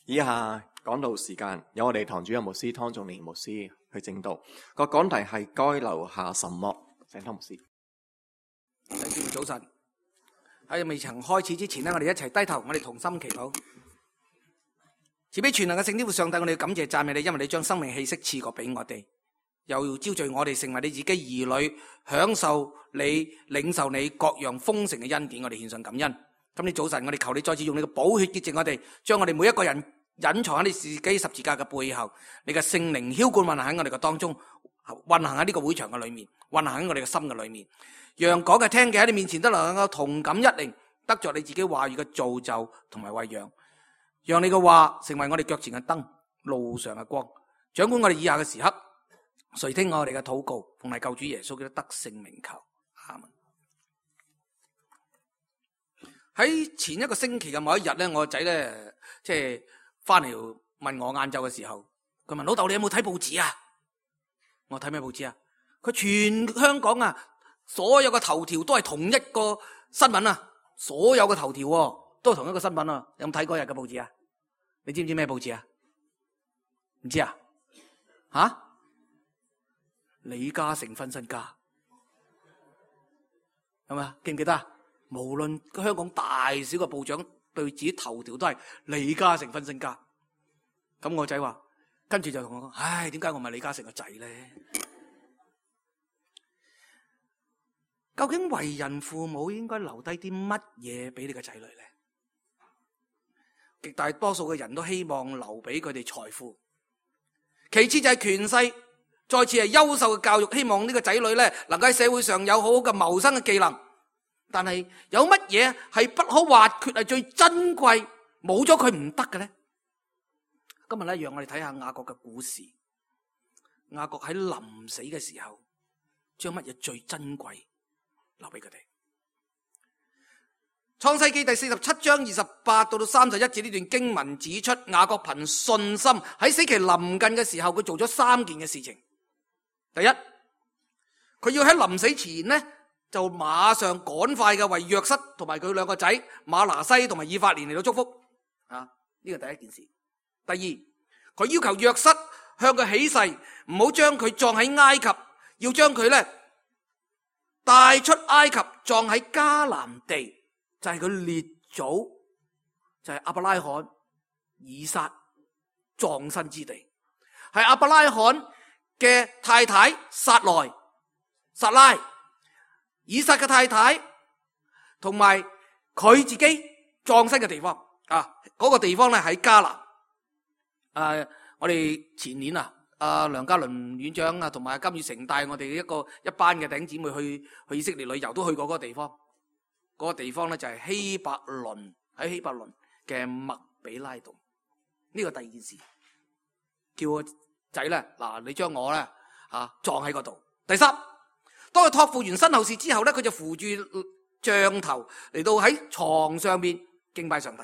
以下講道時間有我哋堂主任牧師湯仲年牧師去證道，個講題係該留下什麼？請湯牧師。弟兄早晨，喺未曾開始之前呢，我哋一齊低頭，我哋同心祈禱。慈悲全能嘅聖天父上帝，我哋要感謝讚美你，因為你將生命氣息賜過俾我哋，又招聚我哋成為你自己兒女，享受你領受你各樣豐盛嘅恩典，我哋獻上感恩。今日早晨，我哋求你再次用你嘅寶血潔淨我哋，將我哋每一個人隱藏喺你自己十字架嘅背後，你嘅聖靈澆灌運行喺我哋嘅當中，運行喺呢個會場嘅裏面，運行喺我哋嘅心嘅裏面，讓講嘅聽嘅喺你面前都能夠同感一靈，得着你自己話語嘅造就同埋餵養，讓你嘅話成為我哋腳前嘅燈，路上嘅光，掌管我哋以下嘅時刻，垂聽我哋嘅禱告，奉係救主耶穌基督得勝名求，阿們。喺前一個星期嘅某一日咧，我個仔咧即係翻嚟問我晏晝嘅時候，佢問老豆你有冇睇報紙啊？我睇咩報紙啊？佢全香港啊，所有嘅頭條都係同一個新聞啊，所有嘅頭條都係同一個新聞啊。有冇睇嗰日嘅報紙啊？你知唔知咩報紙啊？唔知啊？吓？李嘉誠分身家係咪？記唔記得啊？無論香港大小嘅部長對自己頭條都係李嘉誠分身家。咁我仔話，跟住就同我講：唉，點解我唔係李嘉誠個仔咧？究竟為人父母應該留低啲乜嘢俾你個仔女咧？極大多數嘅人都希望留俾佢哋財富，其次就係權勢，再次係優秀嘅教育，希望呢個仔女咧能夠喺社會上有好好嘅謀生嘅技能。但係有乜嘢係不可或缺，係最珍貴，冇咗佢唔得嘅咧？今日咧，讓我哋睇下雅各嘅故事。雅各喺臨死嘅時候，將乜嘢最珍貴留俾佢哋？創世記第47章28到31節呢段經文指出，雅各憑信心喺死期臨近嘅時候，佢做咗3件嘅事情。第一，佢要喺臨死前呢，就馬上趕快嘅為約瑟同埋佢2個仔馬拿西同埋以法蓮嚟到祝福啊！呢個第一件事。第二，佢要求約瑟向佢起誓，唔好將佢葬喺埃及，要將佢咧帶出埃及，葬喺迦南地，就係佢列祖，就係亞伯拉罕、以撒葬身之地，係亞伯拉罕嘅太太撒拉。以撒嘅太太同埋佢自己葬身嘅地方啊，嗰個地方咧喺迦南。我哋前年梁家麟院長啊，同埋金宇成帶我哋一班嘅弟兄姊妹去以色列旅遊，都去過嗰個地方。嗰個地方咧就係希伯倫，喺希伯倫嘅麥比拉洞。呢個第二件事，叫個仔咧嗱，你將我咧葬喺嗰度。第三，當佢託付完身後事之後咧，佢就扶住杖頭嚟到喺床上面敬拜上帝。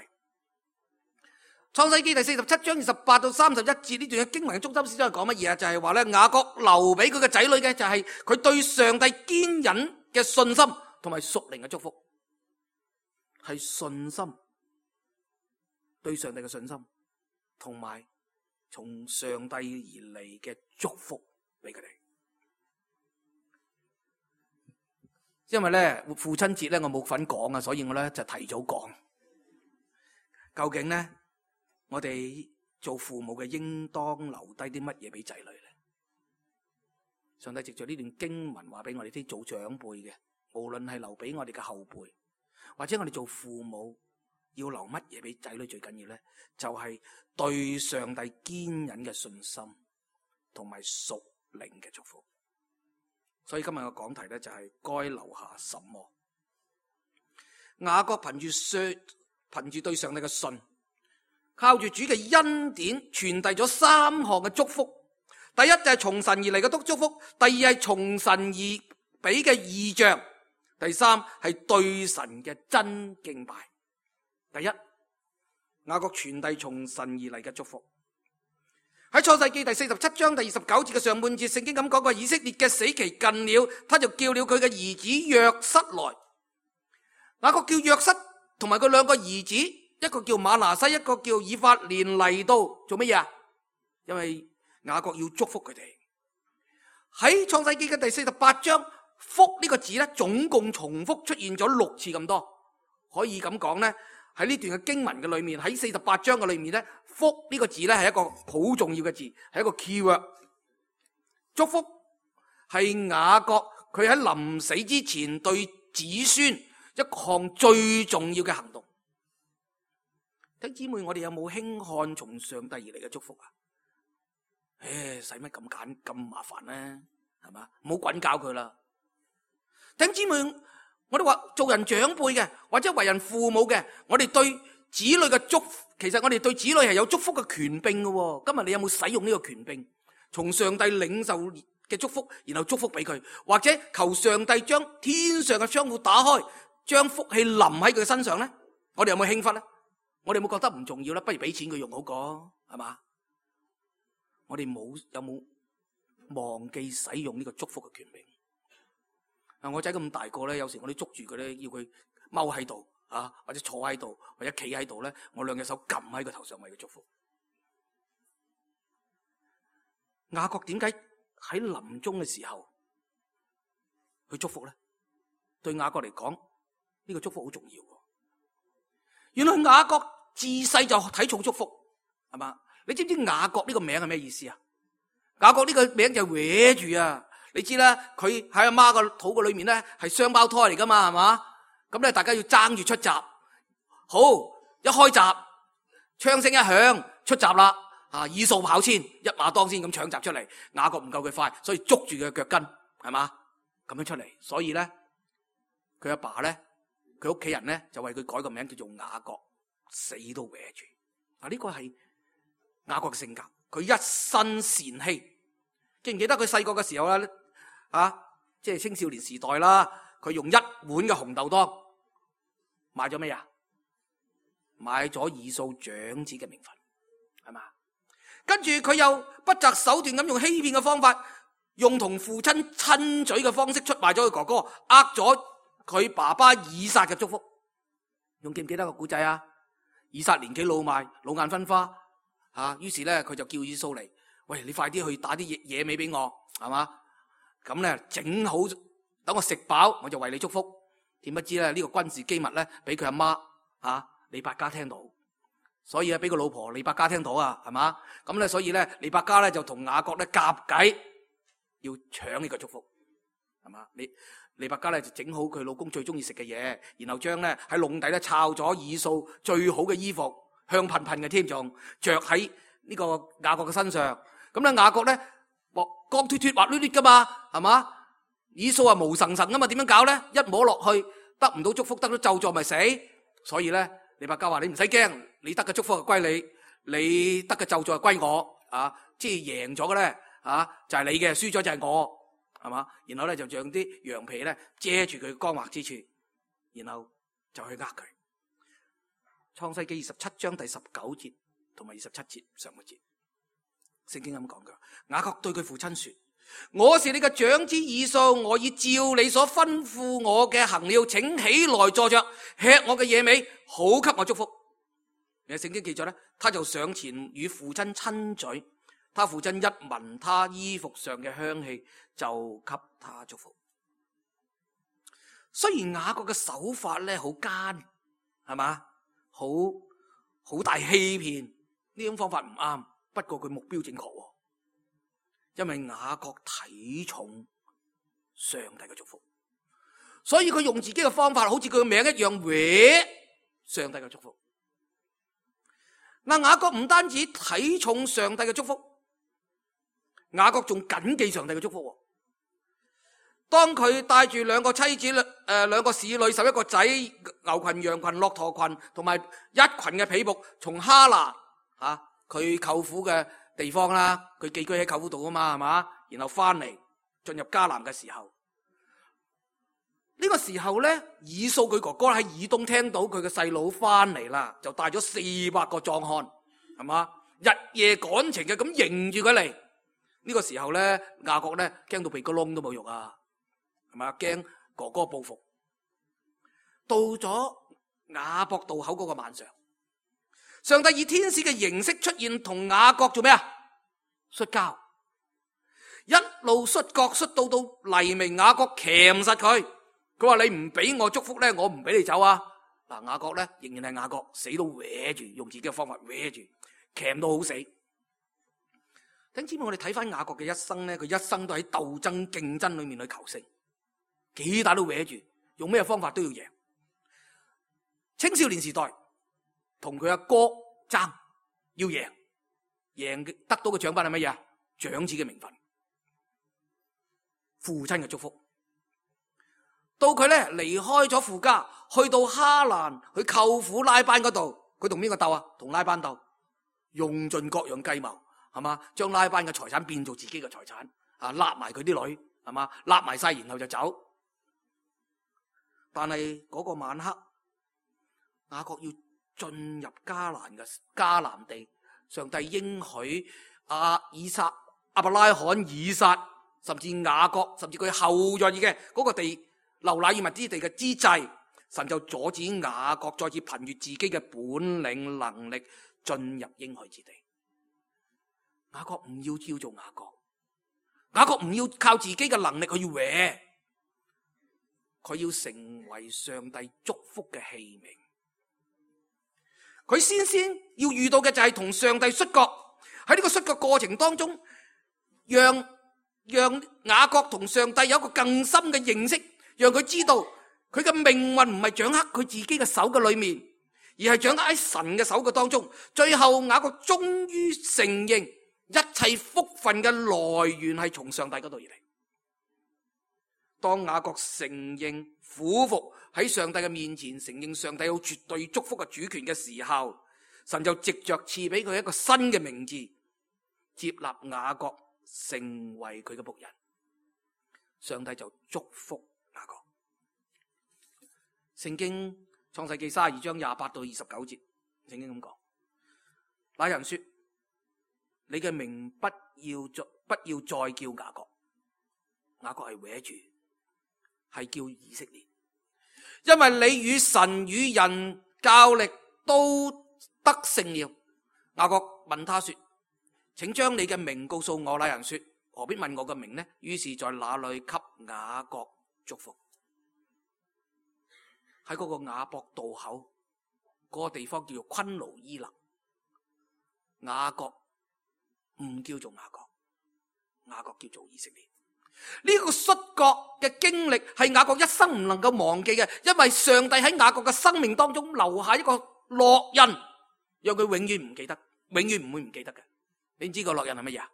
創世記第47章28到31節呢段嘅經文嘅中心思想係講乜嘢啊？就係話咧，雅各留俾佢嘅仔女嘅就係佢對上帝堅忍嘅信心同埋屬靈嘅祝福，係信心，對上帝嘅信心，同埋從上帝而嚟嘅祝福俾佢哋。因為咧父親節咧我冇份講啊，所以我咧就提早講。究竟咧我哋做父母嘅應當留低啲乜嘢俾仔女咧？上帝藉着呢段經文話俾我哋啲做長輩嘅，無論係留俾我哋嘅後輩，或者我哋做父母要留乜嘢俾仔女，最緊要咧就係對上帝堅忍嘅信心同埋屬靈嘅祝福。所以今日嘅講題咧就係該留下什麼？雅各憑住對上帝嘅信，靠住主嘅恩典，傳遞咗3項嘅祝福。第一就係從神而嚟嘅祝福，第二係從神而俾嘅異象，第三係對神嘅真敬拜。第一，雅各傳遞從神而嚟嘅祝福。喺創世記第47章第29節嘅上半節，聖經咁講過，以色列嘅死期近了，他就叫了佢嘅兒子約瑟來。雅各叫約瑟同埋佢2個兒子一個叫馬拿西，一個叫以法蓮嚟到做乜嘢啊？因為雅各要祝福佢哋。喺創世記嘅第48章，福呢個字咧，總共重複出現咗6次咁多。可以咁講咧，喺呢段嘅經文嘅裏面，喺48章嘅裏面咧，福呢個字咧係一個好重要嘅字，係一個 keyword。祝福係雅各佢喺臨死之前對子孫一項最重要嘅行動。弟兄姊妹，我哋有冇輕看從上帝而嚟嘅祝福啊？使乜咁簡咁麻煩呢？係嘛，唔好滾教佢啦。弟兄姊妹，我哋話做人長輩嘅，或者為人父母嘅，我哋對子女嘅祝福，其實我哋對子女係有祝福嘅權柄嘅。今日你有冇使用呢個權柄？從上帝領受嘅祝福，然後祝福俾佢，或者求上帝將天上嘅窗戶打開，將福氣淋喺佢身上咧？我哋有冇輕忽咧？我哋有冇覺得唔重要咧？不如俾錢佢用好過，係嘛？我哋有冇忘記使用呢個祝福嘅權柄？我仔咁大個咧，有時我哋捉住佢咧，要佢踎喺度啊，或者坐喺度，或者企喺度咧，我兩隻手撳喺佢頭上為佢祝福。雅各點解喺臨終嘅時候去祝福咧？對雅各嚟講，呢個祝福好重要。原來雅各自細就睇重祝福，係嘛？你知唔知雅各呢個名係咩意思啊？雅各呢個名就搲住啊！你知啦，佢喺阿媽個肚個裏面咧係雙胞胎嚟噶嘛，係嘛？咁咧大家要爭住出閘。好，一開閘，槍聲一響，出閘啦！以掃跑先，一馬當先咁搶閘出嚟。雅各唔夠佢快，所以捉住佢嘅腳跟，係嘛？咁樣出嚟。所以咧，佢阿爸咧，佢屋企人咧就為佢改個名叫做雅各，死都搲住。呢個係雅各嘅性格，佢一身善欺。記唔記得佢細個嘅時候咧？即係青少年時代啦，佢用1碗嘅紅豆湯買咗咩啊？買咗以掃長子嘅名分，係嘛？跟住佢又不擇手段咁用欺騙嘅方法，用同父親親嘴嘅方式出賣咗佢哥哥，呃咗佢爸爸以撒嘅祝福。仲記唔記得個古仔啊？以撒年紀老邁，老眼昏花，於是咧佢就叫以掃嚟，喂，你快啲去打啲野味俾我，係嘛？咁咧整好，等我食飽，我就為你祝福。點不知咧呢個軍事機密咧，俾佢阿媽利百加聽到，所以啊俾個老婆利百加聽到啊，係嘛？咁咧所以咧利百加咧就同雅各咧夾計，要搶呢個祝福，係嘛？利百加咧就整好佢老公最中意食嘅嘢，然後將咧喺籠底咧抄咗以掃最好嘅衣服，香噴噴嘅添，仲着喺呢個雅各嘅身上。咁咧雅各咧光脫脫滑捋捋噶嘛，係嘛？以掃啊毛神神噶嘛，點樣搞咧？一摸落去得唔到祝福，得到咒詛咪死。所以咧利百加話：你唔使驚，你得嘅祝福係歸你，你得嘅咒詛係歸我。即係贏咗嘅咧就係你嘅，輸咗就係我，係嘛？然後咧就將啲羊皮咧遮住佢光滑之處，然後就去呃佢。創世記27章第19節同埋27節上個節。聖經咁講噶，雅各對佢父親說：我是你嘅長子以掃，我已照你所吩咐我嘅行了，請起來坐着，吃我嘅野味，好給我祝福。聖經記載咧，他就上前與父親親嘴，他父親一聞他衣服上嘅香氣，就給他祝福。雖然雅各嘅手法咧好奸，係嘛，好大欺騙，呢種方法唔啱。不過佢目標正確，因為雅各睇重上帝嘅祝福，所以佢用自己嘅方法，好似佢嘅名一樣，搲上帝嘅祝福。雅各唔單止睇重上帝嘅祝福，雅各仲謹記上帝嘅祝福。當佢帶住2個妻子、2個使女、11個仔、牛群、羊群、駱駝群，同埋一群嘅婢僕，從哈拿佢舅父嘅地方啦，佢寄居喺舅父度啊嘛，係嘛？然後翻嚟進入迦南嘅時候，呢個時候咧，以掃佢哥哥喺以東聽到佢嘅細佬翻嚟啦，就帶咗400個壯漢，係嘛？日夜趕程嘅咁迎住佢嚟。呢個時候咧，雅各咧驚到鼻哥窿都冇肉啊，係嘛？驚哥哥報復。到咗雅博渡口嗰個晚上，上帝以天使嘅形式出現，同雅各做咩啊？摔跤，一路摔角摔到黎明，雅各鉗實佢。佢話你唔俾我祝福咧，我唔俾你走啊！嗱，雅各咧仍然係雅各，死都搲住，用自己嘅方法搲住，鉗到好死。等知唔知我哋睇翻雅各嘅一生咧？佢一生都喺鬥爭競爭裏面去求勝，幾大都搲住，用咩方法都要贏。青少年時代同佢阿哥爭，要贏得到嘅獎品係乜嘢啊？長子嘅名分，父親嘅祝福。到佢咧離開咗父家，去到哈蘭，去舅父拉班嗰度，佢同邊個鬥啊？同拉班鬥，用盡各樣計謀，係嘛？將拉班嘅財產變做自己嘅財產，啊，揦埋佢啲女，係嘛？揦埋晒，然後就走。但係嗰個晚黑，雅各要進入迦南地，上帝應許亞伯拉罕、以撒，甚至雅各，甚至佢後裔嘅嗰個地流奶與蜜之地嘅之際，神就阻止雅各再次憑住自己嘅本領能力進入應許之地。雅各唔要叫做雅各，雅各唔要靠自己嘅能力去搲，佢要成為上帝祝福嘅器皿。佢先要遇到嘅就係同上帝摔角，喺呢個摔角過程當中，讓雅各同上帝有一個更深嘅認識，讓佢知道佢嘅命運唔係掌握佢自己嘅手嘅裏面，而係掌握喺神嘅手嘅當中。最後雅各終於承認一切福分嘅來源係從上帝嗰度而嚟。當雅各承認俯伏喺上帝嘅面前，承認上帝有絕對祝福嘅主權嘅時候，神就藉着賜俾佢一個新嘅名字，接納雅各成為佢嘅僕人。上帝就祝福雅各。聖經創世記32章28到29節，聖經咁講：那人說，你嘅名不要再叫雅各，雅各係搲住，係叫以色列，因為你與神與人較力都得勝了。雅各問他說：請將你嘅名告訴我。那人說：何必問我嘅名呢？於是在那裏給雅各祝福。喺嗰個雅博渡口嗰個地方叫做昆奴伊勒，雅各唔叫做雅各，雅各叫做以色列。呢個摔角嘅經歷係雅各一生唔能夠忘記嘅，因為上帝喺雅各嘅生命當中留下一個烙印，讓佢永遠唔記得，永遠唔會唔記得嘅。你知個烙印係乜嘢啊？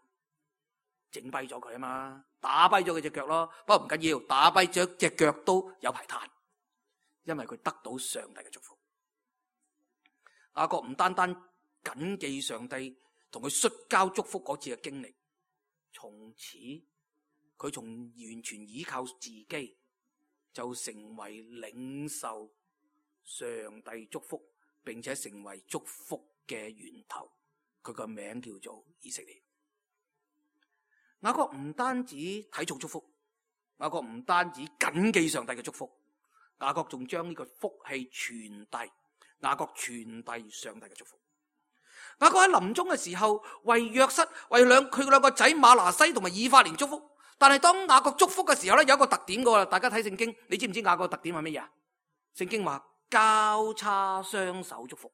整跛咗佢啊嘛，打跛咗佢隻腳咯。不過唔緊要，打跛咗隻腳都有排彈，因為佢得到上帝嘅祝福。雅各唔單單謹記上帝同佢摔跤祝福嗰次嘅經歷，從此佢從完全依靠自己就成為領受上帝祝福，並且成為祝福嘅源頭。佢個名叫做以色列。雅各唔單止睇重祝福，雅各唔單止謹記上帝嘅祝福，雅各仲將呢個福氣傳遞，雅各傳遞上帝嘅祝福。雅各喺臨終嘅時候為約瑟、為佢兩個仔馬拿西同埋以法蓮祝福。但係當雅各祝福嘅時候咧，有一個特點噶，大家睇聖經，你知唔知雅各嘅特點係乜嘢啊？聖經話交叉雙手祝福。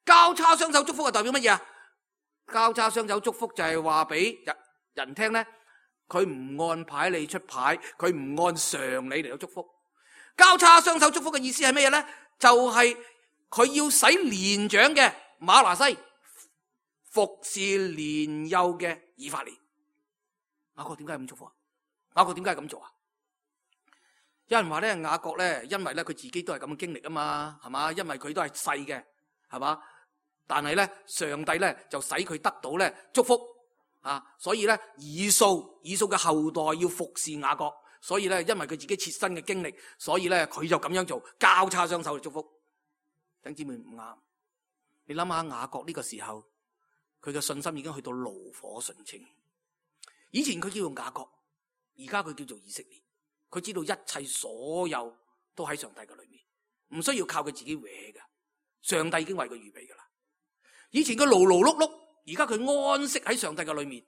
交叉雙手祝福係代表乜嘢啊？交叉雙手祝福就係話俾人聽咧，佢唔按牌理出牌，佢唔按常理嚟到祝福。交叉雙手祝福嘅意思係乜嘢咧？就係佢要使年長嘅馬拿西服侍年幼嘅以法蓮。雅各點解咁祝福啊？雅各點解咁做啊？有人話咧，雅各咧，因為咧佢自己都係咁嘅經歷啊嘛，係嘛？因為佢都係細嘅，係嘛？但係咧，上帝咧就使佢得到咧祝福啊，所以咧以掃嘅後代要服侍雅各，所以咧因為佢自己切身嘅經歷，所以咧佢就咁樣做，交叉雙手去祝福。弟兄姊妹唔啱，你諗下雅各呢個時候，佢嘅信心已經去到爐火純青。以前佢叫做雅各，而家佢叫做以色列。佢知道一切所有都喺上帝嘅裏面，唔需要靠佢自己搲嘅。上帝已經為佢預備噶啦。以前佢勞勞碌碌，而家佢安息喺上帝嘅裏面。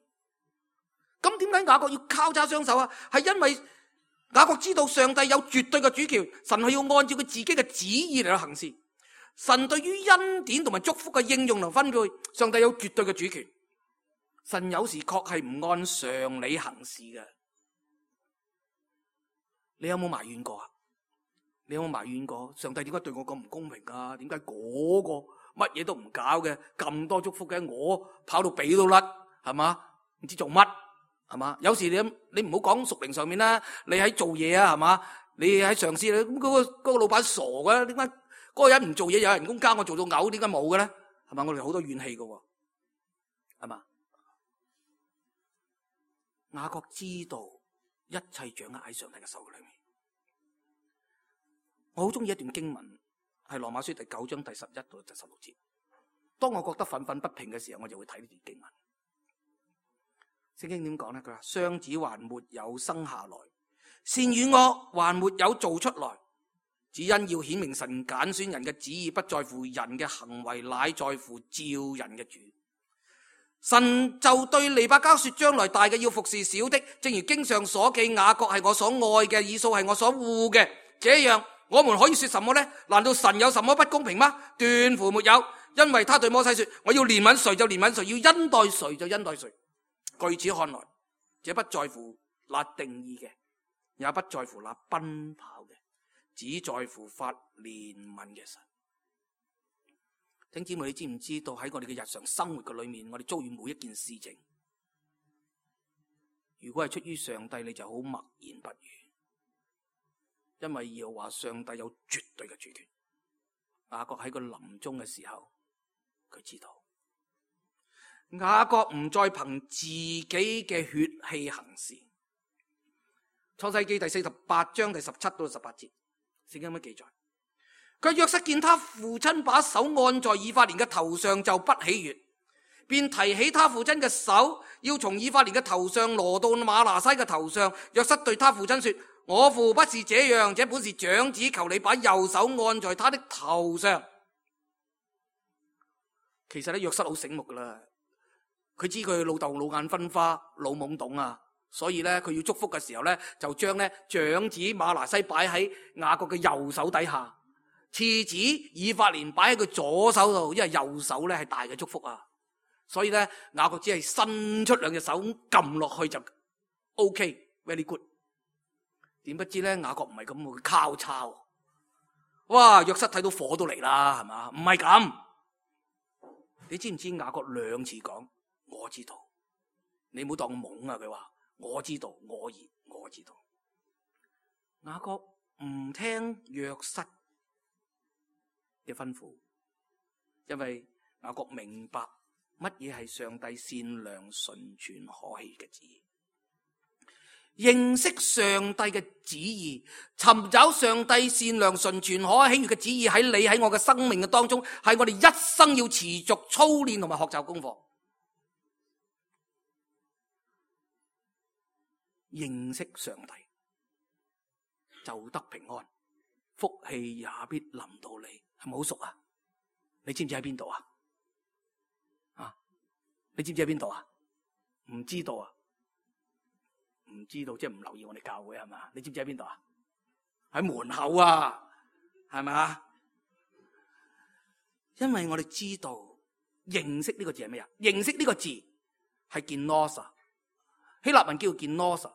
咁點解雅各要交叉雙手啊？係因為雅各知道上帝有絕對嘅主權，神係要按照佢自己嘅旨意嚟行事。神對於恩典同埋祝福嘅應用同分配，上帝有絕對嘅主權。神有時確係唔按常理行事嘅。你有冇埋怨過啊？你有冇埋怨過上帝點解對我咁唔公平啊？點解嗰個乜嘢都唔搞嘅，咁多祝福嘅，我跑到髀都甩，係嘛？唔知做乜，係嘛？有時你唔好講屬靈上面啦，你喺做嘢啊，係嘛？你喺上司，咁嗰個老闆傻嘅，點解嗰個人唔做嘢有人工加我做到嘔，點解冇嘅咧？係嘛？我哋好多怨氣嘅，係嘛？雅各知道一切掌握喺上帝嘅手裏面。我好中意一段經文，係羅馬書第9章第11到第16節。當我覺得憤憤不平嘅時候，我就會睇呢段經文。聖經點講呢？佢話雙子還沒有生下來，善與惡還沒有做出來，只因要顯明神揀選人嘅旨意不在乎人嘅行為，乃在乎召人嘅主。神就對利百加說，將來大嘅要服侍小的，正如經上所記，雅各係我所愛嘅，以掃係我所惡嘅。這樣我們可以說什麼呢？難道神有什麼不公平嗎？斷乎沒有，因為他對摩西說，我要憐憫誰就憐憫誰，要恩待誰就恩待誰。據此看來，這不在乎那定義嘅，也不在乎那奔跑嘅，只在乎發憐憫嘅神。弟兄姊妹，你知唔知道喺我哋嘅日常生活嘅裏面，我哋遭遇每一件事情，如果係出於上帝，你就好默然不語，因為要話上帝有絕對嘅主權。雅各喺佢臨終嘅時候，佢知道雅各唔再憑自己嘅血氣行事。創世記第48章第17到18節，聖經有乜記載？佢約瑟見他父親把手按在以法蓮嘅頭上，就不喜悅，便提起他父親嘅手，要從以法蓮嘅頭上挪到瑪拿西嘅頭上。約瑟對他父親說，我父不是這樣，這本是長子，求你把右手按在他的頭上。其實咧，約瑟好醒目噶啦，佢知佢老豆老眼昏花，老懵懂啊，所以咧佢要祝福嘅時候咧，就將咧長子瑪拿西擺喺雅各嘅右手底下，次子以法蓮擺喺佢左手度，因為右手咧係大嘅祝福啊，所以咧雅各只係伸出兩隻手撳落去就 OK，very good。點不知咧雅各唔係咁，會交叉。哇！約瑟睇到火都嚟啦，係嘛？唔係咁。你知唔知雅各兩次講我知道？你唔好當我懵啊！佢話我知道，我知道。雅各唔聽約瑟嘅吩咐，因為雅各明白乜嘢係上帝善良、純全、可喜嘅旨意。認識上帝嘅旨意，尋找上帝善良、純全、可喜悅嘅旨意喺你喺我嘅生命嘅當中，係我哋一生要持續操練同埋學習功課。認識上帝就得平安，福氣也必臨到你。係咪好熟啊？你知唔知喺邊度啊？你知唔知喺邊度啊？唔知道啊？唔知道即係唔留意我哋教會係嘛？你知唔知喺邊度啊？喺門口啊，係咪啊？因為我哋知道認識呢個字係咩啊？認識呢個字係 genosa， 希臘文叫 genosa。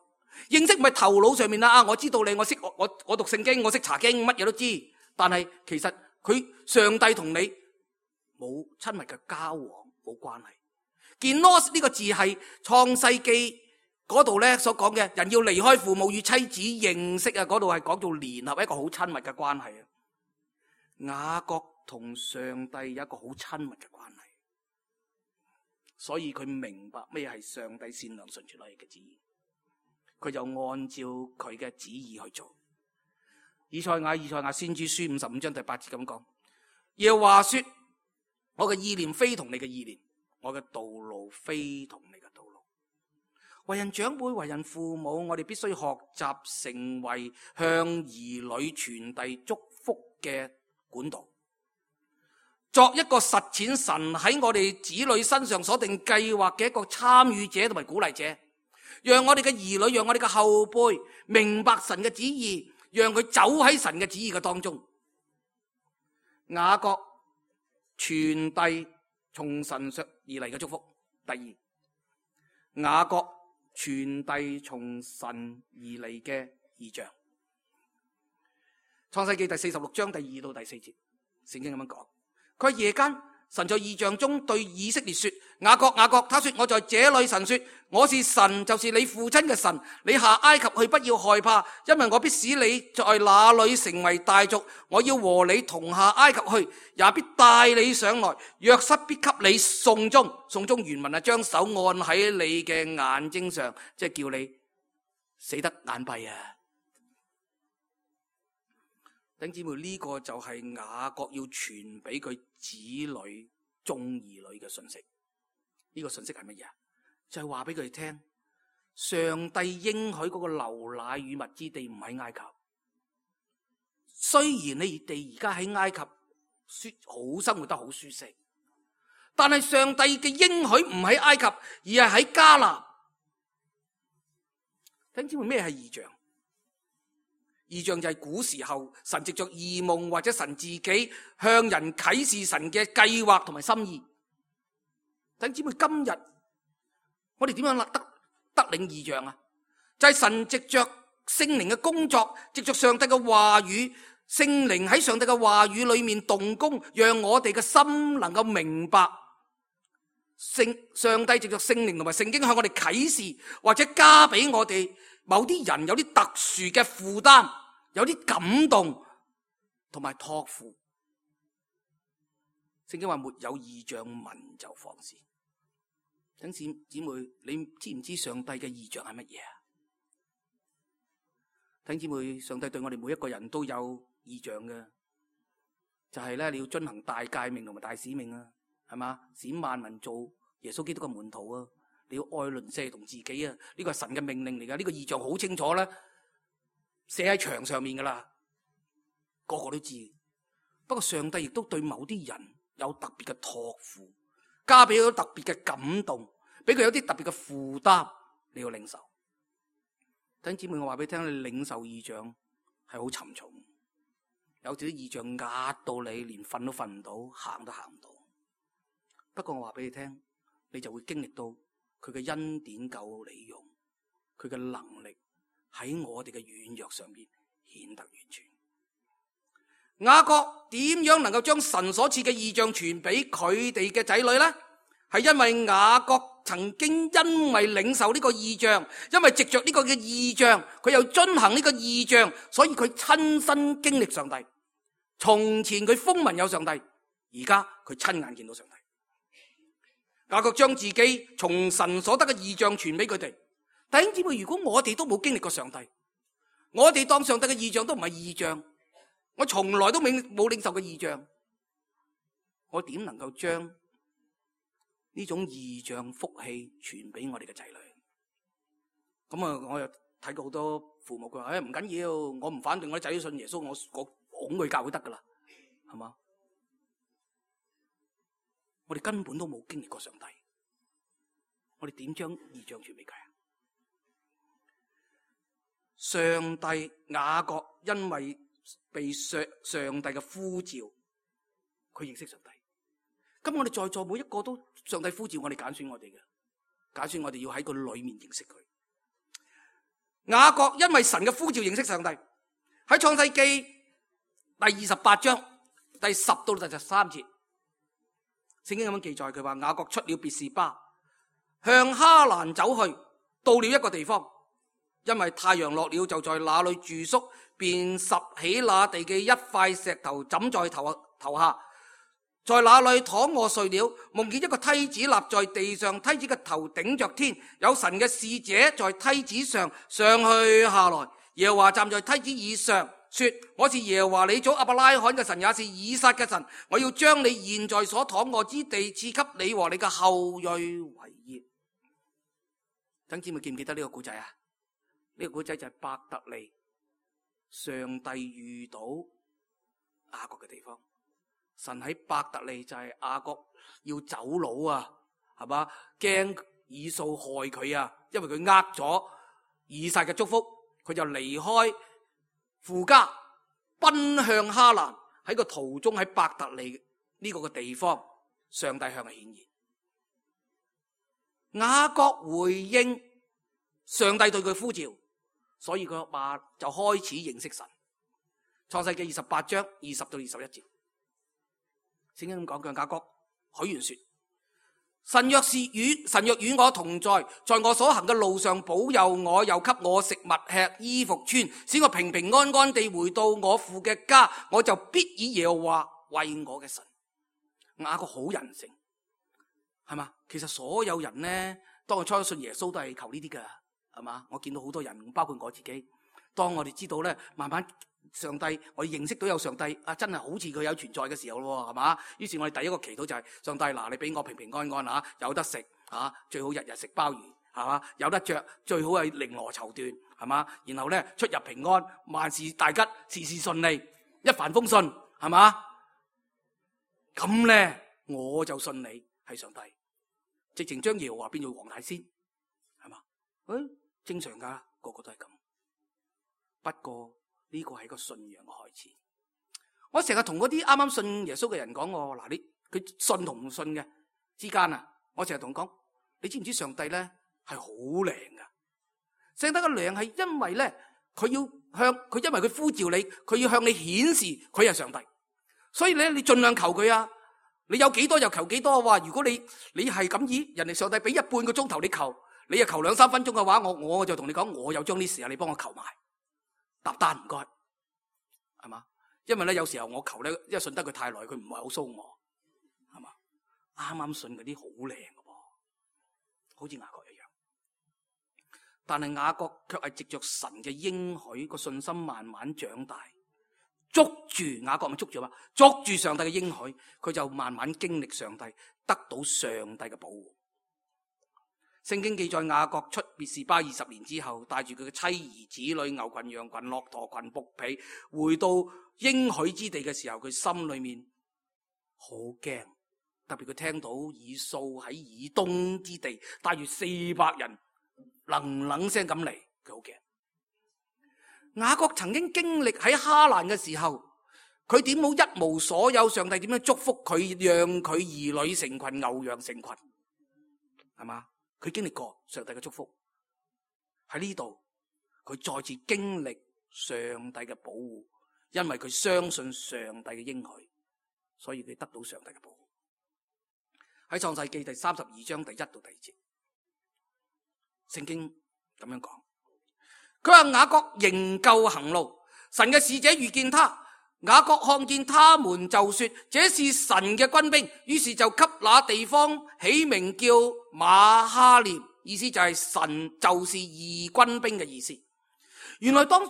認識唔係頭腦上面啦，我知道你，我識我讀聖經，我識查經，乜嘢都知。但係其實佢上帝同你冇親密嘅交往，冇關係。genosa 呢個字係創世記嗰度咧所講嘅，人要離開父母與妻子認識啊，嗰度係講到聯合一個好親密嘅關係啊。雅各同上帝有一個好親密嘅關係，所以佢明白咩係上帝善良、純全、可喜嘅旨意，佢就按照佢嘅旨意去做。以賽亞先知書55章第8節咁講，耶和華說，我嘅意念非同你嘅意念，我嘅道路非同你嘅道路。為人長輩、為人父母，我哋必須學習成為向兒女傳遞祝福嘅管道。作一個實踐神喺我哋子女身上所定計劃嘅一個參與者同埋鼓勵者，讓我哋嘅兒女，讓我哋嘅後輩明白神嘅旨意，讓佢走喺神嘅旨意嘅當中。雅各傳遞從神上而嚟嘅祝福。第二，雅各傳遞從神而嚟嘅異象。創世記第46章第2到第4節，聖經咁樣講，佢話夜間神在異象中對以色列說：雅各，雅各，他說我在這裏。神說：我是神，就是你父親嘅神。你下埃及去，不要害怕，因為我必使你在那裏成為大族。我要和你同下埃及去，也必帶你上來。約瑟必給你送終。送終原文係將手按喺你嘅眼睛上，即係叫你死得眼閉啊！弟兄姊妹，呢個就係雅各要傳俾佢子女、眾兒女嘅信息。呢個信息係乜嘢？就係話俾佢哋聽，上帝應許嗰個流奶與蜜之地唔喺埃及。雖然你哋而家喺埃及好生活得好舒適，但係上帝嘅應許唔喺埃及，而係喺迦南。弟兄姊妹，咩係異象？異象就係古時候神藉着異夢或者神自己向人啟示神嘅計劃同埋心意。弟兄姊妹，今日我哋點樣得領異象啊？就係神藉着聖靈嘅工作，藉着上帝嘅話語，聖靈喺上帝嘅話語裏面動工，讓我哋嘅心能夠明白上帝藉着聖靈同埋聖經向我哋啟示，或者加俾我哋某啲人有啲特殊嘅負擔，有啲感動同埋託付。聖經話沒有異象，民就放肆。弟兄姊妹，你知唔知上帝嘅異象係乜嘢啊？弟兄姊妹，上帝對我哋每一個人都有異象嘅，就係咧，你要遵行大誡命同埋大使命啊，係嘛？使萬民做耶穌基督嘅門徒啊！你要愛鄰舍同自己啊！呢個係神嘅命令嚟噶，呢個異象好清楚啦，寫喺牆上面噶啦，個個都知。不過上帝亦都對某啲人有特別嘅託付，加俾佢特別嘅感動，俾佢有啲特別嘅負擔，你要領受。弟兄姊妹，我話俾你聽，你領受異象係好沉重，有時啲異象壓到你連瞓都瞓唔到，行都行唔到。不過我話俾你聽，你就會經歷到佢嘅恩典夠你用，佢嘅能力喺我哋嘅軟弱上面顯得完全。雅各點樣能夠將神所賜嘅異象傳俾佢哋嘅仔女呢？係因為雅各曾經因為領受呢個異象，因為藉着呢個嘅異象，佢又遵行呢個異象，所以佢親身經歷上帝。從前佢風聞有上帝，而家佢親眼見到上帝。雅各將自己從神所得嘅異象傳俾佢哋。弟兄姊妹，如果我哋都冇經歷過上帝，我哋當上帝嘅異象都唔係異象，我從來都冇領受過異象，我點能夠將呢種異象福氣傳俾我哋嘅仔女？咁啊，我又睇過好多父母，佢話唔緊要，我唔反對我啲仔女信耶穌，我拱佢教會得噶啦，係嘛？我哋根本都冇經歷過上帝，我哋點將異象傳俾佢啊？上帝雅各因為被上帝嘅呼召，佢認識上帝。咁我哋在座每一個都上帝呼召我哋，揀選我哋嘅，揀選我哋要喺個裏面認識佢。雅各因為神嘅呼召認識上帝，喺創世記第28章第10到第13節，聖經咁樣記載，佢話雅各出了別是巴，向哈蘭走去，到了一個地方，因為太陽落了，就在那裏住宿，便拾起那地嘅一塊石頭枕在頭下，在那裏躺臥睡了，夢見一個梯子立在地上，梯子嘅頭頂着天，有神嘅使者在梯子上上去下來。耶和華站在梯子以上，說：我是耶和華你祖亞伯拉罕嘅神，也是以撒嘅神。我要將你現在所躺臥之地賜給你和你嘅後裔為業。等姊妹記唔記得呢個故仔啊？呢個故仔就係伯特利，上帝遇到雅各嘅地方。神喺伯特利就係雅各要走佬啊，係嘛？驚以掃害佢啊，因為佢呃咗以撒嘅祝福，佢就離開父家，奔向哈蘭。喺個途中喺伯特利呢個嘅地方，上帝向佢顯現。雅各回應上帝對佢呼召，所以佢話就開始認識神。創世記28章20到21節，聖經咁講，佢雅各許願說：神若與我同在，在我所行嘅路上保佑我，又給我食物吃，衣服穿，使我平平安安地回到我父嘅家，我就必以耶和華為我嘅神。雅各好人性，係嘛？其實所有人呢，當我初信耶穌都係求呢啲噶，係嘛？我見到好多人，包括我自己，當我哋知道咧，慢慢上帝，我哋認識到有上帝啊，真係好似佢有存在嘅時候咯，係嘛？於是我哋第一個祈禱就係上帝，嗱，你俾我平平安安啊，有得食啊，最好日日食鮑魚，係嘛？有得着，最好係綾羅綢緞，係嘛？然後咧出入平安，萬事大吉，事事順利，一帆風順，係嘛？咁咧我就信你係上帝，直情將耶和華變做黃大仙，係嘛？正常噶，個個都係咁。不過呢個係一個信仰嘅開始。我成日同嗰啲啱啱信耶穌嘅人講，嗱，佢信同唔信嘅之間啊，我成日同佢講，你知唔知上帝咧係好靈噶？上帝嘅靈係因為咧，佢要向佢，因為佢呼召你，佢要向你顯示佢係上帝。所以咧，你盡量求佢啊！你有幾多就求幾多。話如果你係咁以人哋上帝俾1半個鐘頭你求，你又求2-3分鐘嘅話，我就同你講，我有將啲時間你幫我求埋，搭單唔該，係嘛？因為咧有時候我求咧，因為信得佢太耐，佢唔係好騷我，係嘛？啱啱信嗰啲好靚嘅噃，好似雅各一樣。但係雅各卻係藉着神嘅應許，個信心慢慢長大。捉住雅各咪捉住嘛？捉住上帝嘅應許，佢就慢慢經歷上帝，得到上帝嘅保護。聖經記載雅各出別是巴20年之後，帶住佢嘅妻兒子女、牛群、羊群、駱駝群、僕婢，回到應許之地嘅時候，佢心裏面好驚，特別佢聽到以掃喺以東之地帶住400人，冷聲咁嚟，佢好驚。雅各曾經經歷喺哈蘭嘅時候，佢點冇一無所有，上帝點樣祝福佢，讓佢兒女成群，牛羊成群，係嘛？佢經歷過上帝嘅祝福，喺呢度佢再次經歷上帝嘅保護，因為佢相信上帝嘅應許，所以佢得到上帝嘅保護。喺創世記第32章第1到第2節，聖經咁樣講。佢話雅各仍舊行路，神嘅使者遇見他，雅各看見他們就說：這是神嘅軍兵。於是就給那地方起名叫馬哈念，意思就係神就是義軍兵嘅意思。原來當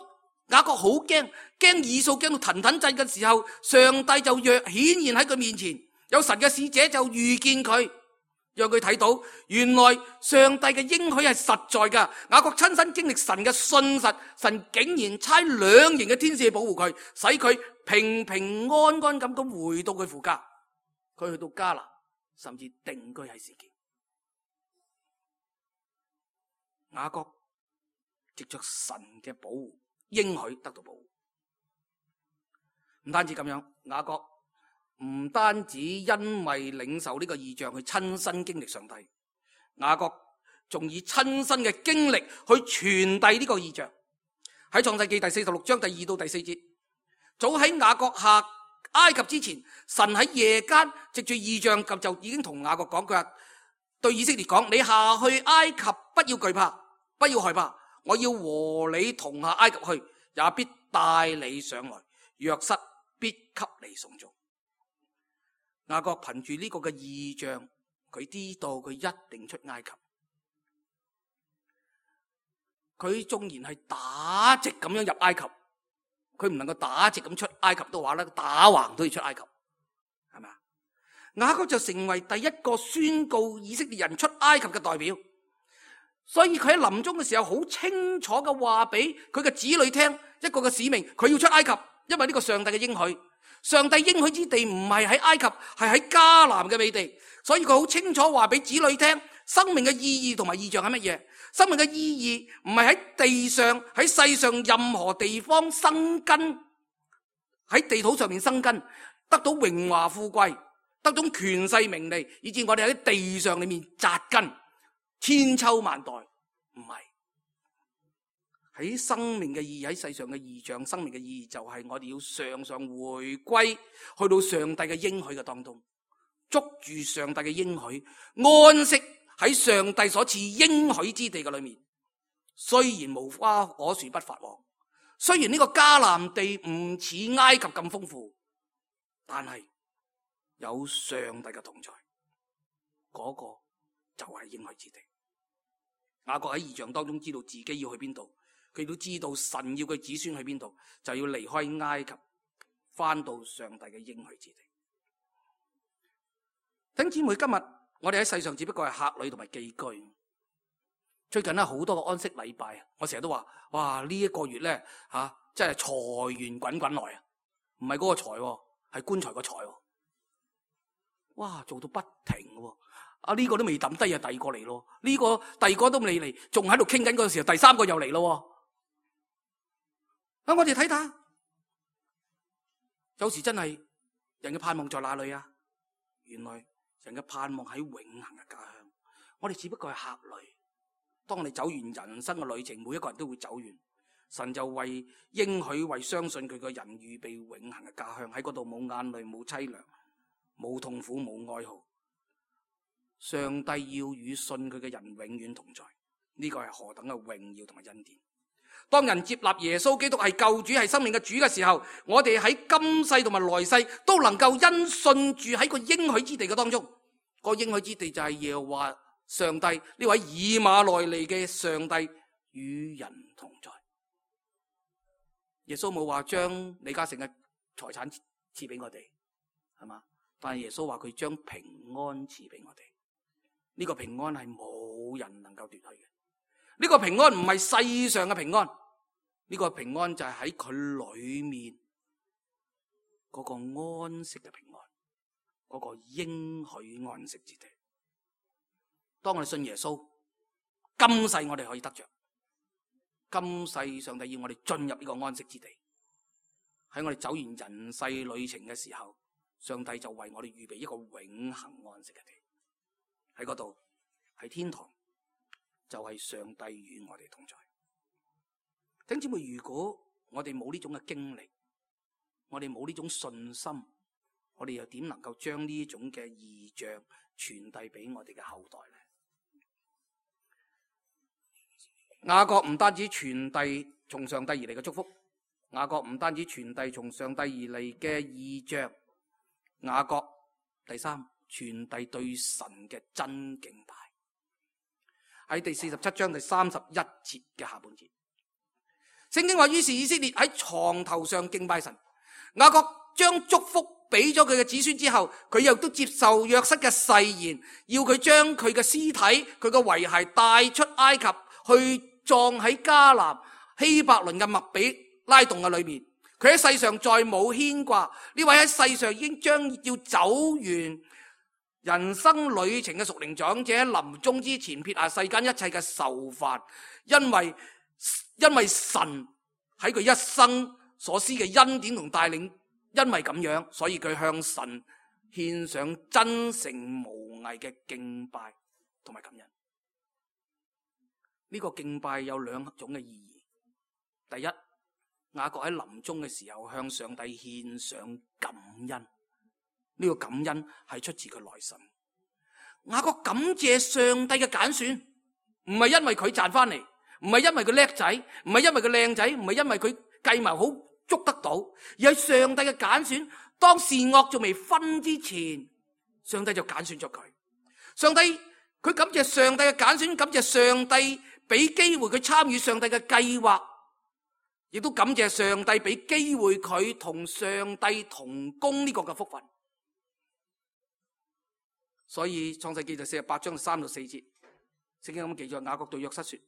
雅各好驚以掃驚到騰騰震嘅時候，上帝就顯現喺佢面前，有神嘅使者就遇見佢，讓佢睇到原來上帝嘅應許係實在噶。雅各親身經歷神嘅信實，神竟然差2營嘅天使去保護佢，使佢平平安安咁回到佢父家。佢去到迦南，甚至定居喺示劍。雅各藉着神嘅保護，應許得到保護。唔單止咁樣，雅各唔單止因為領受呢個異象去親身經歷上帝，雅各仲以親身嘅經歷去傳遞呢個異象。喺創世記第46章第2到第4節，早喺雅各下埃及之前，神喺夜間藉住異象就已經同雅各講，佢話對以色列講：你下去埃及，不要懼怕，不要害怕，我要和你同下埃及去，也必帶你上來，約瑟必給你送終。雅各憑住呢個嘅異象，佢知道佢一定出埃及。佢縱然係打直咁樣入埃及，佢唔能夠打直咁出埃及嘅話咧，打橫都要出埃及，係咪啊？雅各就成為第一個宣告以色列人出埃及嘅代表。所以佢喺臨終嘅時候，好清楚嘅話俾佢嘅子女聽一個嘅使命，佢要出埃及，因為呢個上帝嘅應許。上帝應許之地唔係喺埃及，係喺迦南嘅美地，所以佢好清楚話俾子女聽，生命嘅意義同埋異象係乜嘢？生命嘅意義唔係喺地上，喺世上任何地方生根，喺地土上面生根，得到榮華富貴，得到權勢名利，以致我哋喺地上裏面扎根，千秋萬代，唔係。喺生命嘅意義，喺世上嘅異象，生命嘅意義就係我哋要常常回歸，去到上帝嘅應許嘅當中，捉住上帝嘅應許，安息喺上帝所賜應許之地嘅裏面。雖然無花果樹不發旺，雖然呢個迦南地唔似埃及咁豐富，但係有上帝嘅同在，嗰個就係應許之地。雅各喺異象當中知道自己要去邊度，佢都知道神要佢子孫去邊度，就要離開埃及，翻到上帝嘅應許之地。弟兄姊妹，今日我哋喺世上只不過係客旅同埋寄居。最近咧好多個安息禮拜，我成日都話，哇，呢一個月咧真係財源滾滾來啊！唔係嗰個財，係棺材個財。哇，做到不停嘅。呢個都未抌低啊，第二個嚟咯。呢個第二個都未嚟，仲喺度傾緊嗰陣時候，第三個又嚟咯。我哋睇睇，有時真係人嘅盼望在哪裏啊？原來人嘅盼望喺永恆嘅家鄉。我哋只不過係客旅。當我哋走完人生嘅旅程，每一個人都會走完，神就為應許、為相信佢嘅人預備永恆嘅家鄉。喺嗰度冇眼淚、冇淒涼、冇痛苦、冇哀號。上帝要與信佢嘅人永遠同在，呢個係何等嘅榮耀同埋恩典。當人接納耶穌基督係救主、係生命嘅主嘅時候，我哋喺今世同埋來世都能夠因信住喺個應許之地嘅當中。個應許之地就係耶和華上帝呢位以馬內利嘅上帝與人同在。耶穌冇話將李嘉誠嘅財產賜俾我哋，係嘛？但係耶穌話佢將平安賜俾我哋。呢個平安係冇人能夠奪去嘅。呢個平安唔係世上嘅平安，呢個平安就係喺佢裏面嗰個安息嘅平安，嗰個應許安息之地。當我哋信耶穌，今世我哋可以得着，今世上帝要我哋進入呢個安息之地。喺我哋走完人世旅程嘅時候，上帝就為我哋預備一個永恆安息嘅地。喺嗰度，喺天堂，就係上帝與我哋同在。弟兄姊妹，如果我哋冇呢種嘅經歷，我哋冇呢種信心，我哋又點能夠將呢種嘅異象傳遞俾我哋嘅後代呢？雅各唔單止傳遞從上帝而嚟嘅祝福，雅各唔單止傳遞從上帝而嚟嘅異象，雅各第三，傳遞對神嘅真敬拜。喺第47章第31節嘅下半節，聖經話，於是以色列喺床頭上敬拜神。雅各將祝福俾咗佢嘅子孫之後，佢又都接受約瑟嘅誓言，要佢將佢嘅屍體、佢嘅遺骸帶出埃及，去葬喺迦南希伯倫嘅麥比拉洞嘅裏面。佢喺世上再冇牽掛，呢位喺世上已經將要走完人生旅程嘅屬靈長者，喺臨終之前撇下世間一切嘅愁煩，因為神喺佢一生所施嘅恩典同帶領，因為咁樣，所以佢向神獻上真誠無偽嘅敬拜同埋感恩。呢個敬拜有兩種嘅意義。第一，雅各喺臨終嘅時候向上帝獻上感恩。呢個感恩係出自佢內心。雅各感謝上帝嘅揀選，唔係因為佢賺翻嚟，唔係因為佢叻仔，唔係因為佢靚仔，唔係因為佢計謀好捉得到，而係上帝嘅揀選。當善惡仲未分之前，上帝就揀選咗佢。上帝佢感謝上帝嘅揀選，感謝上帝俾機會佢參與上帝嘅計劃，亦都感謝上帝俾機會佢同上帝同工呢個嘅福分。所以創世記就48章3到4節，聖經咁記載，雅各對約瑟說：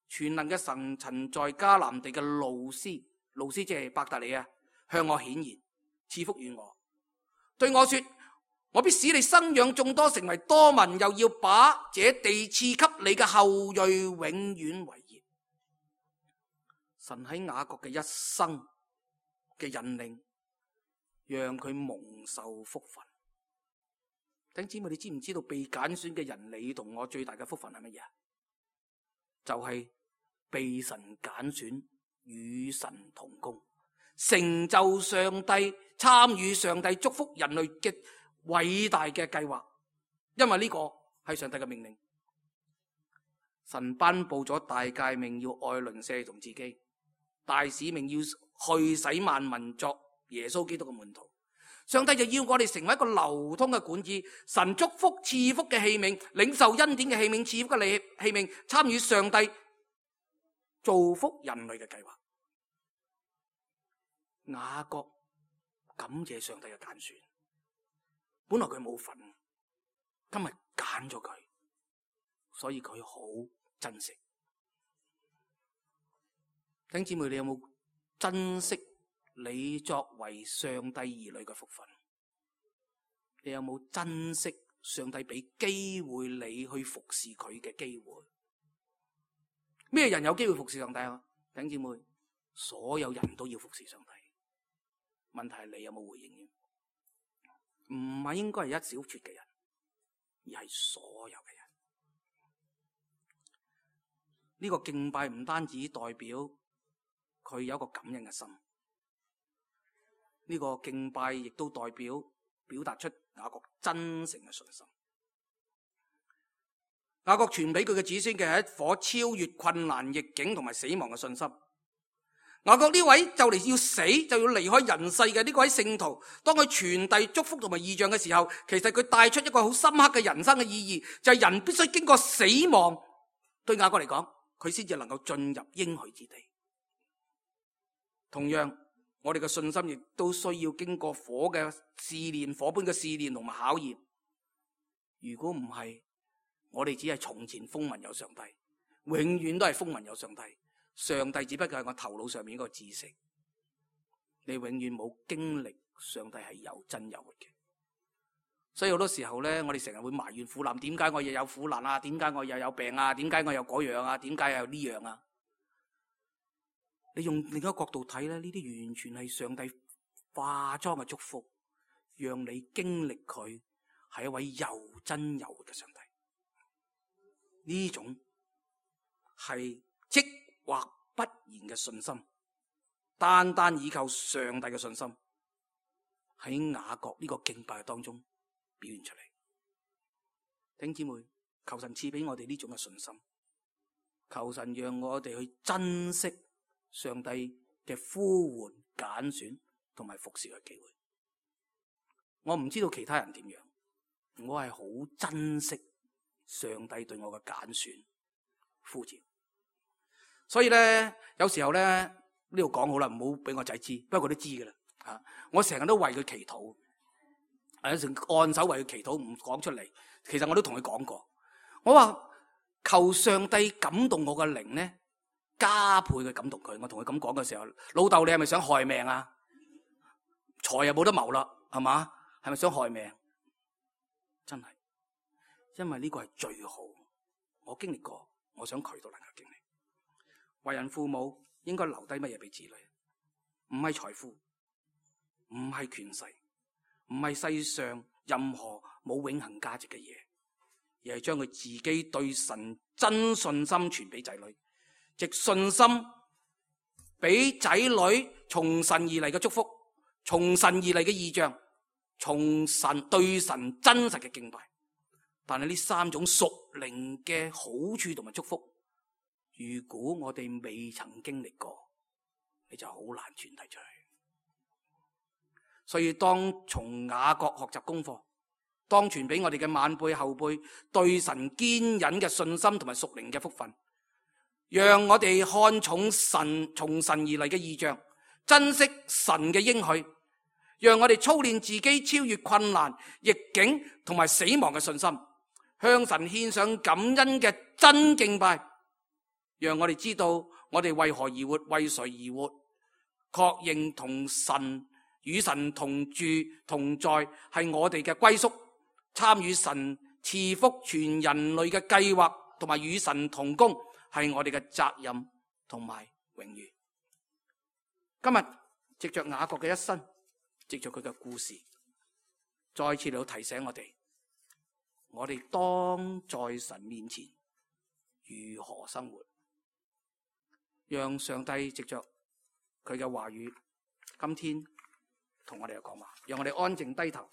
全能嘅神曾在迦南地嘅路斯即係伯特利啊，向我顯現。賜福與我，對我說：我必使你生養眾多，成為多民，又要把這地賜給你嘅後裔，永遠為業。神喺雅各嘅一生嘅引領，讓佢蒙受福分。弟兄姊妹，你知唔知道被揀選嘅人，你同我最大嘅福分係乜嘢？就係被神揀選，與神同工，成就上帝，參與上帝祝福人類嘅偉大嘅計劃。因為呢個係上帝嘅命令，神頒布咗大誡命，要愛鄰舍同自己；大使命要去使萬民作耶穌基督嘅門徒。上帝就要我哋成為一個流通嘅管子，神祝福賜福嘅器皿，領受恩典嘅器皿，賜福嘅器皿，參與上帝造福人類嘅計劃。雅各感謝上帝嘅揀選，本來佢冇份，今日揀咗佢，所以佢好珍惜。弟兄姊妹，你有冇珍惜你作為上帝兒女嘅福分？你有冇珍惜上帝俾機會你去服侍佢嘅機會？咩人有機會服侍上帝啊？弟兄姊妹，所有人都要服侍上帝。問題係你有冇回應？唔係應該係一小撮嘅人，而係所有嘅人。呢個敬拜唔單止代表佢有一個感恩嘅心，呢個敬拜亦都代表表達出雅各真誠嘅信心。雅各傳俾佢嘅子孫嘅係一顆超越困難逆境同埋死亡嘅信心。雅各呢位就嚟要死就要離開人世嘅呢位聖徒，當佢傳遞祝福同埋異象嘅時候，其實佢帶出一個好深刻嘅人生嘅意義，就係人必須經過死亡。對雅各嚟講，佢先至能夠進入應許之地。同樣，我哋嘅信心亦都需要經過火嘅試煉，火般嘅試煉同埋考驗。如果唔係，我哋只係從前風聞有上帝，永遠都係風聞有上帝。上帝只不過係我頭腦上面一個知識，你永遠冇經歷上帝係有真有活嘅。所以好多時候咧，我哋成日會埋怨苦難，點解我又有苦難啊？點解我又有病啊？點解我又嗰樣啊？點解又有呢樣啊？你用另一個角度睇咧，呢啲完全係上帝化妝嘅祝福，讓你經歷佢係一位又真有活嘅上帝。呢種係即或不然嘅信心，單單依靠上帝嘅信心，喺雅各呢個敬拜當中表現出嚟。弟兄姊妹，求神賜俾我哋呢種嘅信心，求神讓我哋去珍惜上帝嘅呼喚、揀選同埋服侍嘅機會。我唔知道其他人點樣，我係好珍惜上帝對我嘅揀選呼召。所以咧，有時候咧，呢度講好啦，唔好俾我仔知，不過佢都知噶啦吓。我成日都為佢祈禱，有時按手為佢祈禱，唔講出嚟。其實我都同佢講過，我話求上帝感動我嘅靈咧，加倍嘅感動佢。我同佢咁講嘅時候，老豆你係咪想害命啊？財又冇得謀啦，係嘛？係咪想害命？真係，因為呢個係最好。我經歷過，我想佢都能夠經歷。為人父母應該留低乜嘢俾子女？唔係財富，唔係權勢，唔係世上任何冇永恆價值嘅嘢，而係將佢自己對神真信心傳俾仔女，藉信心俾仔女從神而嚟嘅祝福，從神而嚟嘅異象，從神對神真實嘅敬拜。但係呢三種屬靈嘅好處同埋祝福，如果我哋未曾經歷過，你就好難傳遞出去。所以當從雅各學習功課，當傳俾我哋嘅晚輩後輩對神堅忍嘅信心同埋屬靈嘅福分，讓我哋看重神從神而嚟嘅異象，珍惜神嘅應許，讓我哋操練自己超越困難、逆境同埋死亡嘅信心，向神獻上感恩嘅真敬拜。讓我哋知道我哋為何而活，為誰而活，確認同神與神同住同在係我哋嘅歸宿，參與神賜福全人類嘅計劃，同埋與神同工係我哋嘅責任同埋榮譽。今日藉着雅各嘅一生，藉着佢嘅故事，再次嚟到提醒我哋當在神面前如何生活，讓上帝藉着佢嘅話語，今天同我哋講話，讓我哋安靜低頭，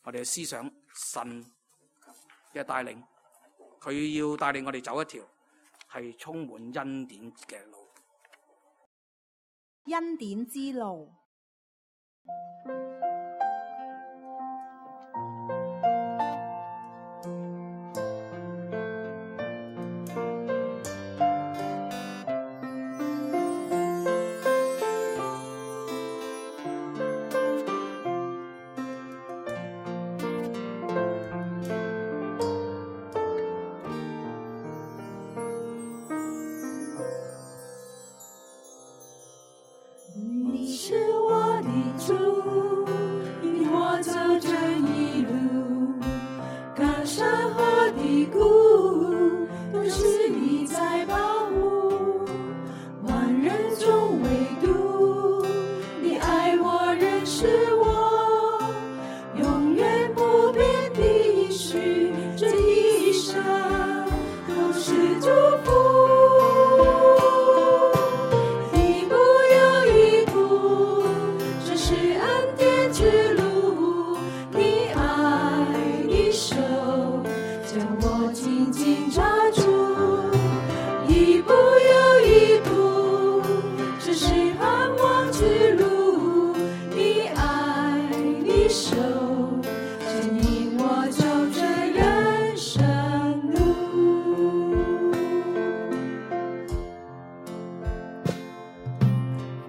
我哋思想神嘅帶領，佢要帶領我哋走一條係充滿恩典嘅路。恩典之路。你是我的主，引我走这一路，高山和低谷都是你在保护，万人中唯独你爱我认识我，永远不变的应许，这一生都是祝福。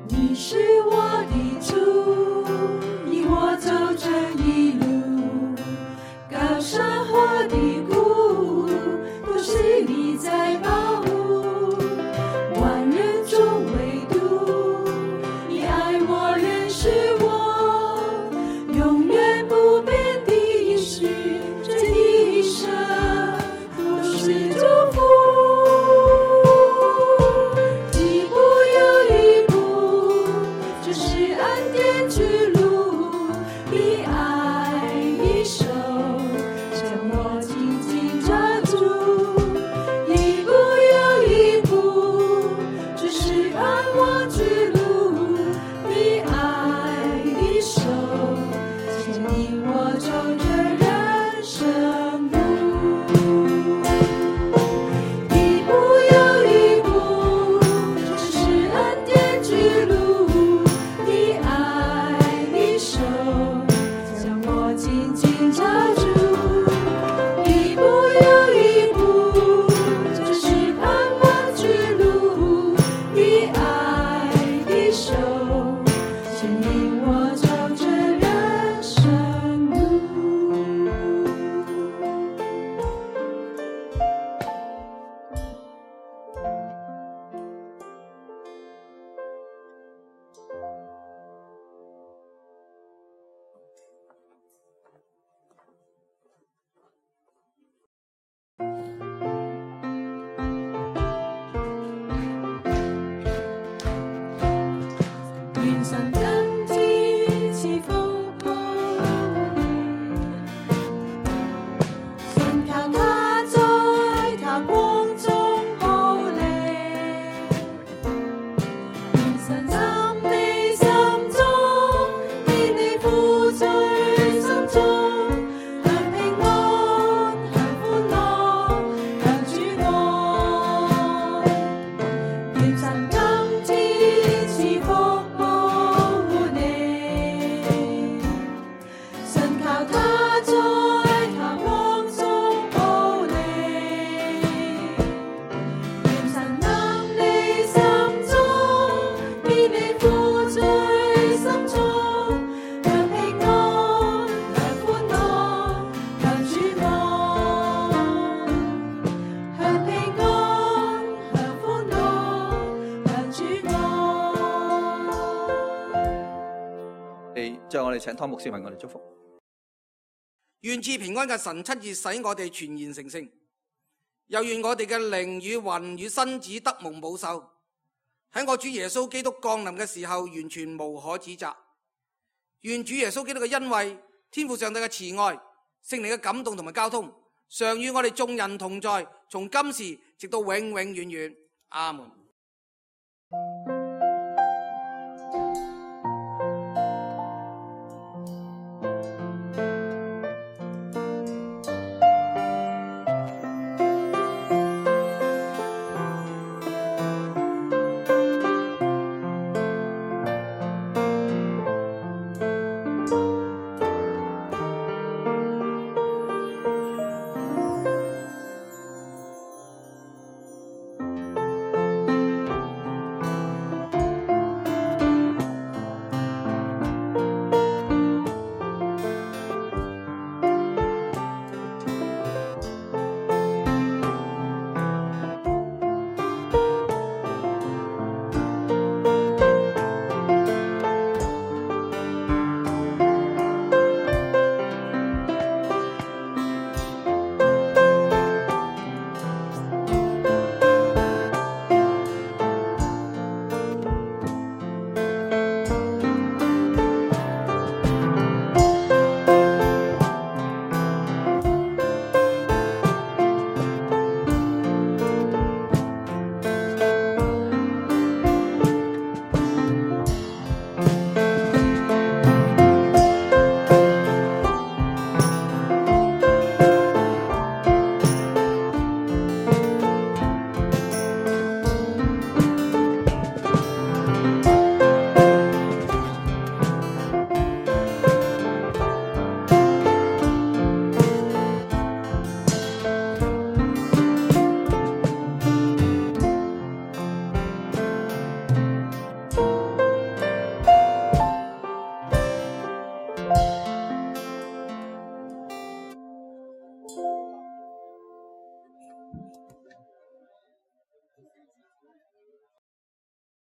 你是我的主，引我走这一路，高山和低谷都是你我哋請湯牧師為我哋祝福。願賜平安嘅神親自使我哋全然成聖，又願我哋嘅靈與魂與身子得蒙保守，喺我主耶穌基督降臨嘅時候完全無可指責。願主耶穌基督嘅恩惠、天父上帝嘅慈愛、聖靈嘅感動同埋交通，常與我哋眾人同在，從今時直到永永遠遠。阿門。